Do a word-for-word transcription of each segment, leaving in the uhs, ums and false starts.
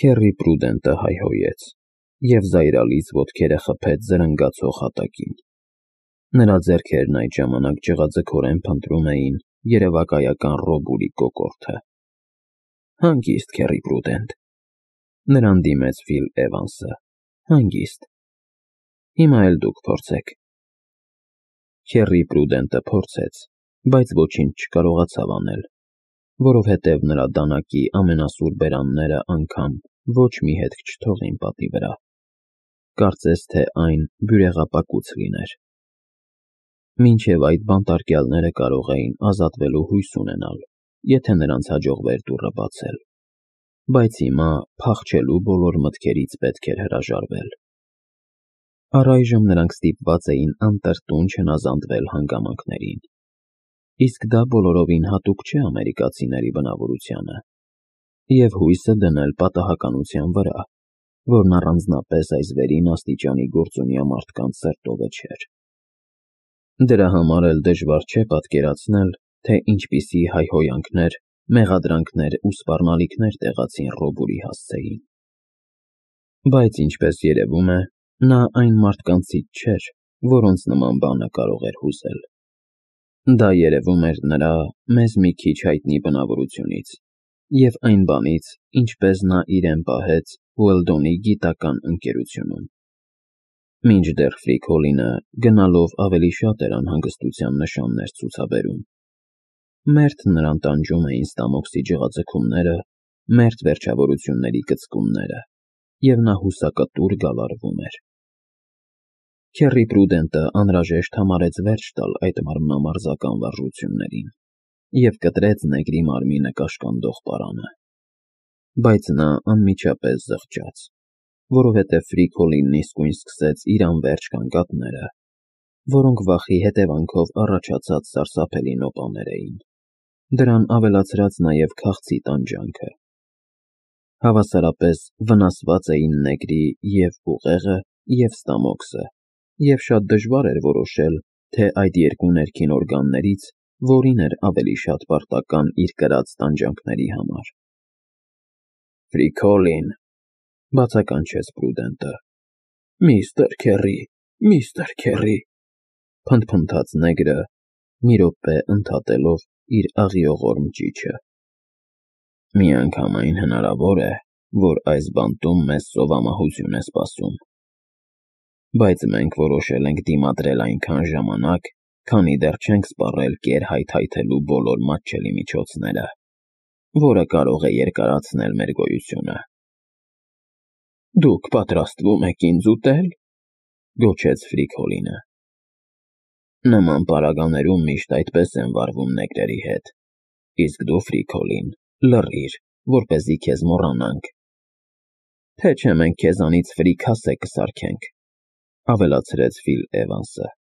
Քեռի Պրուդենտը հայհոյեց և զայրալից ոտքերը խփեց զրնգացող հատակին։ Նրա ձեռքերն այդ ժամանակ ջղաձգորեն փնտրում էին երևակայական Ռոբուրի կոկորդը։ Հանգիստ, Քեռի Պրուդենտ, նրան դիմեց Ֆիլ Էվանսը, հանգիստ։ Հիմա էլ դուք փորձեք։ Քեռի Պրուդենտը փորձեց, բայց ոչինչ չկարողացավ անել, որովհետև նրա դանակի ամենասուր բերանները անգամ ոչ մի հետք չթողին պատի վրա, կարծես թե այն բյուրեղապակուց լիներ։ Մինչև այդ բանտարկյալները կարող էին ազատվելու հույս ունենալ, եթե նրանց հաջողվեր դուռը բացել, բայց հիմա փախչելու բոլոր մտքերից պետք էր հրաժարվել։ Առայժմ նրանք ստիպված էին անտրտուն չհնազանդվել հանգամանքներին, իսկ դա բոլորովին հատուկ չէ ամերիկացիների բնավորությանը, և հույսը դնել պատահականության վրա, որն առանձնապես այս վերին աստիճանի գործունյա մարդկանց սրտովը չէր։ Դրա համար էլ դժվար չէ պատկերացնել, թե ինչպիսի հայհոյանքներ, մեղադրանքներ ու սպառնալիքներ տեղացին Ռոբուրի հասցեին։ Բայց ինչպես երևում է, նա այն մարդկանցից չէր, որոնց նման բանը կարող էր հուզել։ Դա երևում էր նրա մեզ մի քիչ հայտնի բնավորությունից և այն բանից, ինչպես նա իրեն պահեց Ուելդոնի գիտական ընկերությունում։ Մինչդեռ Ֆրիկոլինը գնալով ավելի շատ էր անհանգստության նշաններ ցուցաբերում։ Մերթ նրան տանջում էին ստամոքսի ջղաձգումները, մերթ վերջավորությունների կծկումները, և նա հուսակտուր գալարվում էր։ Քեռի Պրուդենտը անհրաժեշտ համարեց վերջ տալ այդ մարմնամարզական վարժություններին և կտրեց նեգրի մարմինը կաշկանդող պարանը։ Բայց նա անմիջապես զղջաց, որովհետև Ֆրիկոլինն իսկույն սկսեց իր անվերջ գանգատները, որոնք վախի հետևանքով առաջացած սարսափելի նոպաներ էին, դրան ավելացրած նաև քաղցի տանջանքը։ Հավասարապես վնասված էին նեգրի և ուղեղը, և ստամոքսը, և շատ դժվար էր որոշել, թե այդ երկու ներքին օրգաններից որին էր ավելի շատ պարտական իր կրած տանջանքների համար։ Ֆրիկոլին, բացականչեց Պրուդենտը։ Միստր Քեռի, միստր Քեռի, փնթփնթաց նեգրը, մի րոպե ընդհատելով իր աղիողորմ ճիչը։ Միանգամայն հնարավոր է, որ այս բանտում մեզ ծովամահություն է սպասում, բայց մենք որոշել ենք դիմադրել այնքան ժամանակ, քանի դեռ չենք սպառել կեր հայթայթելու բոլոր մատչելի միջոցները, որը կարող է երկարացնել մեր գոյությունը։ Դուք պատրաստվում եք ինձ ուտել, գոչեց Ֆրիկոլինը։ Նման պարագաներում միշտ այդպես են վարվում նեգրերի հետ, իսկ դու, Ֆրիկոլին, լռիր, որպեսզի քեզ մոռանանք, թե չէ մենք քեզանից ֆրիկ հասե կսարքենք, ավելացրեց Ֆիլ Էվանսը։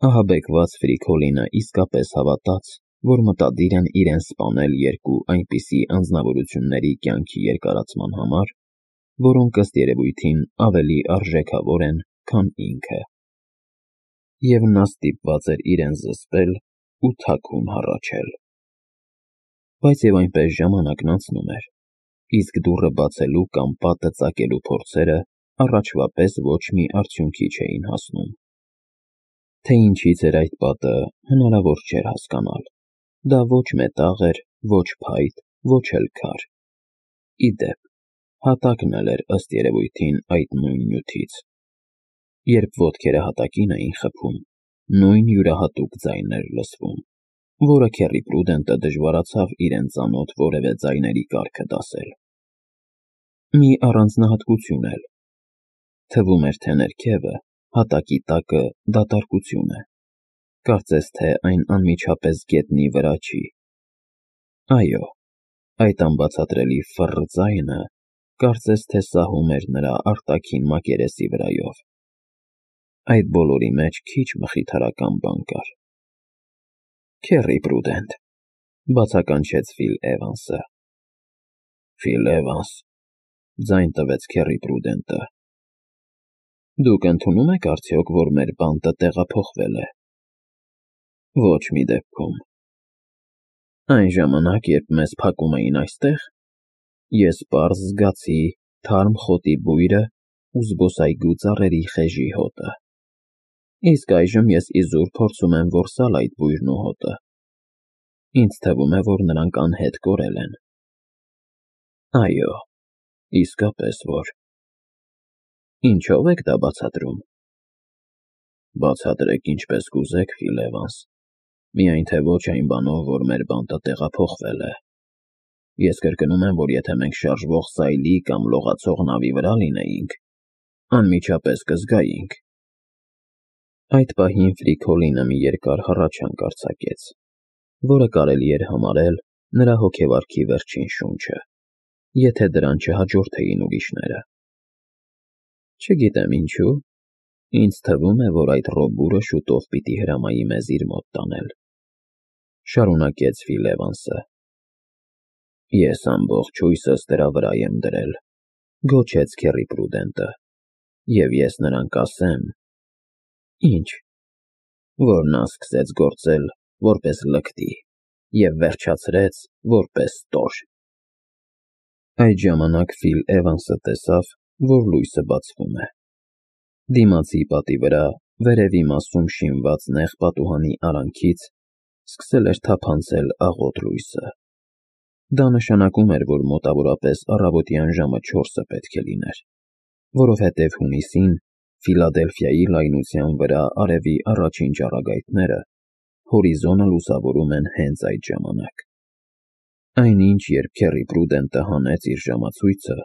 Ահաբեկված Ֆրիկոլինը իսկապես հավատաց, որ մտադիր են իրեն սպանել երկու այնպիսի անձնավորությունների կյանքի երկարացման համար, որոնք ըստ երևույթին ավելի արժեքավոր են, քան ինքը։ Եվ նա ստիպված էր իրեն զսպել ու թաքուն հառաչել։ Բայց և այնպես ժամանակն անցնում էր, իսկ դուռը բացելու կամ պատը ծակելու փորձերը առաջվա պես ոչ մի արդյունքի չէին հասնում։ Թե ինչից էր այդ պատը, հնարավոր չէր հասկանալ։ Դա ոչ մետաղ էր, ոչ փայտ, ոչ էլ քար։ Ի դեպ, հատակն էլ էր ըստ երևույթին այդ նույն նյութից։ Երբ ոտքերը հատակին էին խփում, նույն յուրահատուկ ձայնն էր լսվում, որը Քեռի Պրուդենտը դժվարացավ իրեն ծանոթ որևէ ձայների կարգը դասել։ Մի առանձնահատկություն էլ. թվում էր, թե ներքևը, հատակի տակը դատարկություն է, կարծես թե այն անմիջապես գետնի վրա չի։ Այո, այդ անբացատրելի ֆռռ ձայնը կարծես թե սահում էր նրա արտաքին մակերեսի վրայով։ Այդ բոլորի մեջ քիչ մխիթարական բան կար։ Քեռի Պրուդենտ, բացականչեց Ֆիլ Էվանսը։ Ֆիլ Էվանս, ձայն տվեց Քեռի Պրուդենտը։ Դուք ընդունում եք արդյոք, որ մեր բանտը տեղափոխվել է։ Ոչ մի դեպքում։ Այն ժամանակ, երբ մեզ փակում էին այստեղ, Ես պարզ զգացի թարմ խոտի բույրը ու զբոսայգու ծառերի խեժի հոտը։ Իսկ այժմ ես իզուր փորձում եմ որսալ այդ բույրն ու հոտը։ Ինձ թվում է, որ նրանք անհետ կորել են։ Այո, իսկապես որ։ Ինչո՞վ եք դա բացատրում։ Բացատրեք ինչպես կուզեք, Ֆիլ Էվանս, միայն թե ոչ այն բանով, որ մեր բանտը տեղափոխվել է։ Ես կրկնում եմ, որ եթե մենք շարժվող սայլի կամ լողացող նավի վրա լինեինք, անմիջապես կզգայինք։ Այդ պահին Ֆրիկոլինը մի երկար հառաչանք արձակեց, որը կարելի էր համարել նրա հոգեվարքի վերջին շունչը, եթե դրան չհաջորդեին ուրիշները։ Չգիտեմ ինչու, ինձ թվում է, որ այդ Ռոբուրը շուտով պիտի հրամայի մեզ իր մոտ տանել, շարունակեց Ֆիլ Էվանսը։ Ես ամբողջ հույսս դրա վրա եմ դրել, գոչեց Քեռի Պրուդենտը, և ես նրան կասեմ… Ինչ, որ նա սկսեց գործել որպես լկտի և վերջացրեց որպես տոր։ Այդ ժամանակ Ֆիլ Էվանսը տեսավ, որ լույսը բացվում է։ Դիմացի պատի վրա, վերևի մասում շինված նեղ պատուհանի արանքից սկսել էր թափանցել աղոտ լույսը։ Դա նշանակում էր, որ մոտավորապես առավոտյան ժամը չորսը պետք է լիներ, որովհետև հունիսին Ֆիլադելֆիայի լայնության վրա արևի առաջին ճառագայթները հորիզոնը լուսավորում են հենց այդ ժամանակ։ Այնինչ, երբ Քեռի Պրուդենտը հանեց իր ժամացույցը,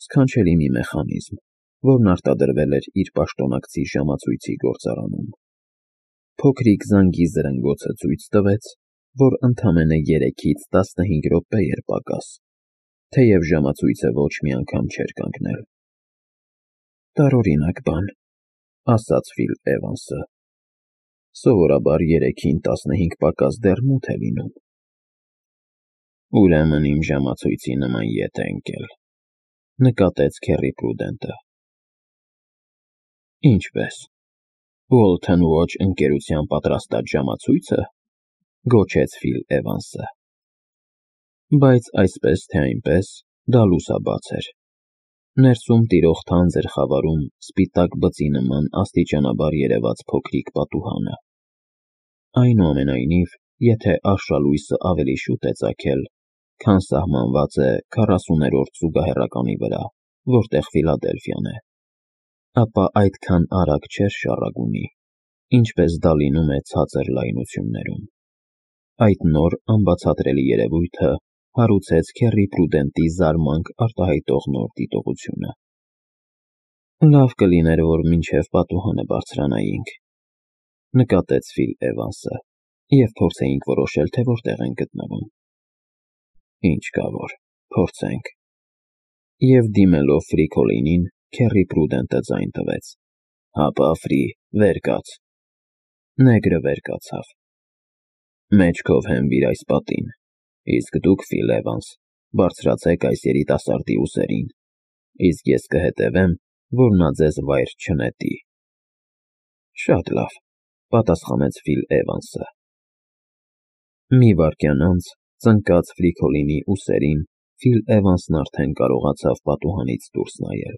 սքանչելի մի մեխանիզմ, որն արտադրվել էր իր պաշտոնակցի ժամացույցի գործարանում, փոքրիկ զանգի զրնգոցը ցույց տվեց, որ ընդամենը երեքից տասնհինգ րոպե էր պակաս, թեև ժամացույցը ոչ մի անգամ չէր կանգնել։ Տարօրինակ բան, ասաց Ֆիլ Էվանսը։ Սովորաբար երեքին տասնհինգ պակաս դեռ մութ է լինում։ Ուրեմն իմ ժամացույցի նման ետ է ընկել, նկատեց Քեռի Պրուդենտը։ Ինչպե՞ս, Ուոլթոն Ուոչ ընկերության պատրաստած ժամացույցը, գոչեց Ֆիլ Էվանսը։ Բայց այսպես թե այնպես դա լուսաբաց էր։ Ներսում տիրող թանձր խավարում սպիտակ բծի նման աստիճանաբար երևաց փոքրիկ պատուհանը։ Այնուամենայնիվ, եթե արշալույսը ավելի շուտ է ծագել, քան սահմանված է քառասուներորդ զուգահեռականի վրա, որտեղ Ֆիլադելֆիան է, ապա այդքան արագ չէր շառագունի, ինչպես դա լինում է ցածր լայնություններում։ Այդ նոր անբացատրելի երևույթը հարուցեց Քեռի Պրուդենտի զարմանք արտահայտող նոր դիտողությունը։ Լավ կլիներ, որ մինչև պատուհանը բարձրանայինք, նկատեց Ֆիլ Էվանսը, և փորձեինք որոշել, թե որտեղ ենք գտնվում։ Ինչ կա որ, փորձենք։ Եվ դիմելով Ֆրիկոլինին, Քեռի Պրուդենտը ձայն տվեց. Հապա, Ֆրի, վեր կաց։ Նեգրը վեր կացավ։ Մեջքով հենվիր այս պատին, իսկ դուք, Ֆիլ Էվանս, բարձրացեք այս երիտասարդի ուսերին, իսկ ես կհետևեմ, որ նա ձեզ վայր չնետի։ Շատ լավ, պատասխանեց Ֆիլ Էվանսը։ Մի վայրկյան անց, ծնկած Ֆրիկոլինի ուսերին, Ֆիլ Էվանսն արդեն կարողացավ պատուհանից դուրս նայել։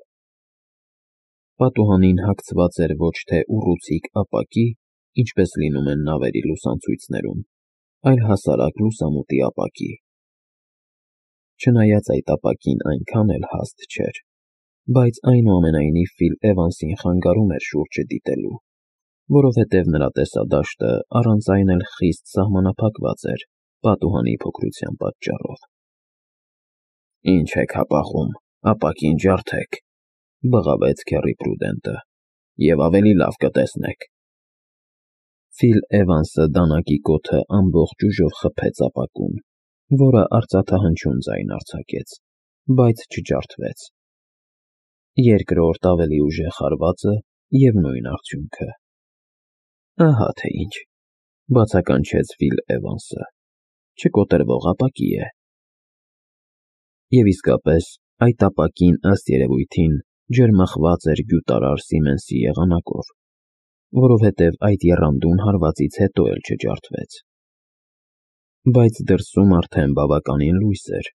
Պատուհանին հագցված էր ոչ թե ուռուցիկ ապակի, ինչպես լինում են նավերի լուսացույցներում, այլ հասարակ լուսամուտի ապակի։ Չնայած այդ ապակին այնքան էլ հաստ չէր, բայց այնուամենայնիվ Ֆիլ Էվանսին խանգարում էր շուրջը դիտելու, որովհետև նրա տեսադաշտը առանց այն էլ խիստ սահմանափակված էր պատուհանի փոքրության պատճառով։ Ինչ եք հապաղում, ապակին ջարդեք, բղավեց Քեռի Պրուդենտը, և ավելի լավ կտեսնեք։ Ֆիլ Էվանսը դանակի կոթը ամբողջ ուժով խփեց ապակուն, որը արծաթահնչյուն ձայն արձակեց, բայց չջարդվեց։ Երկրորդ ավելի ուժեղ հարվածը և նույն արդյունքը։ Ահա թե ինչ, բացականչեց Ֆիլ Էվանսը, չկոտրվող ապակի է։ Եվ իսկապես, այդ ապակին ըստ երևույթին ջերմախված էր գյուտարար Սիմենսի եղանակով, որովհետև այդ եռանդուն հարվածից հետո էլ չջարդվեց։ Բայց դրսում արդեն բավականին լույս էր,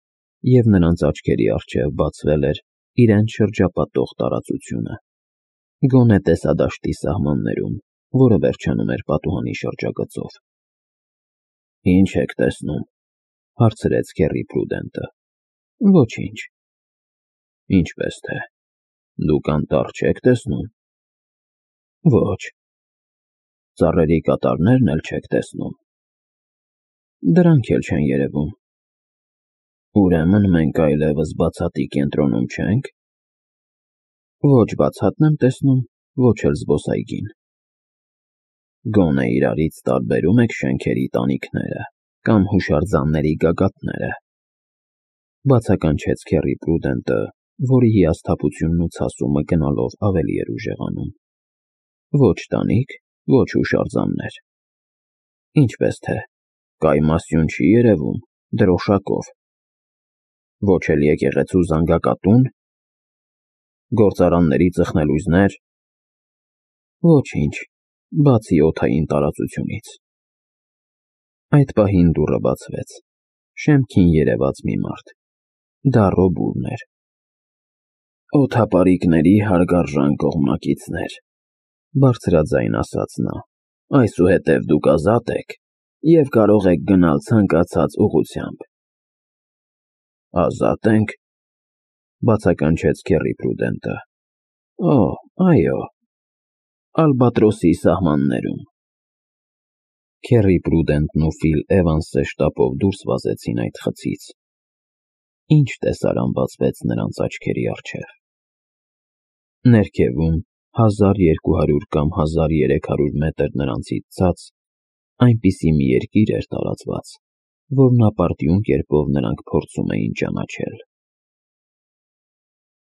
և նրանց աչքերի առջև բացվել էր իրենց շրջապատող տարածությունը, գոնե տեսադաշտի սահմաններում, որը վերջանում էր պատուհանի շրջագծով։ «Ի՞նչ եք տեսնում», հարցրեց Քեռի Փրուդենտը։ «Ոչինչ»։ «Ինչպես թե, դուք անտառ չեք տեսնում»։ «Ոչ»։ «Ծառերի կատարներն էլ չեք տեսնում»։ «Դրանք էլ չեն երևում»։ «Ուրեմն մենք այլևս բացատի կենտրոնում չենք»։ «Ոչ բացատն եմ տեսնում, ոչ էլ զբոսայգին»։ «Գոնե իրարից տարբերում եք շենքերի տանիքները կամ հուշարձանների գագաթները»։ Բացականչեց Քեռի Փրուդենտը, որի հիասթափությունն ու ցասումը գնալով ավելի էր ուժեղանում։ «Ոչ տանիք, ոչ հուշարձաններ»։ «Ինչպես թե, կայմասյուն չի երևում, դրոշակով»։ «Ոչ էլ եկեղեցու զանգակատու՞ն»։ «Գործարանների ծխնելույզնե՞ր»։ «Ոչինչ, բացի օդային տարածությունից»։ Այդ պահին դուռը բացվեց։ Շեմքին երևաց մի մարդ։ Դա Ռոբուրն էր։ «Օդապարիկների հարգարժան կողմնակիցներ», բարձրաձայն ասաց նա, «այսուհետև դուք ազատ եք և կարող եք գնալ ցանկացած ուղղությամբ»։ «Ազա՞տ ենք», բացականչեց Քեռի Փրուդենտը։ «Օ, այո, Ալբատրոսի սահմաններում»։ Քեռի Փրուդենտն ու Ֆիլ Էվանսը շտապով դուրս վազեցին այդ խցից։ Ինչ տեսարան բացվեց նրանց աչքերի առջև։ Ներքևում, հազար երկու հարյուր կամ հազար երեք հարյուր մետր նրանցից ցած, այնպիսի մի երկիր էր տարածված, որն ապարդյուն կերպով նրանք փորձում էին ճանաչել։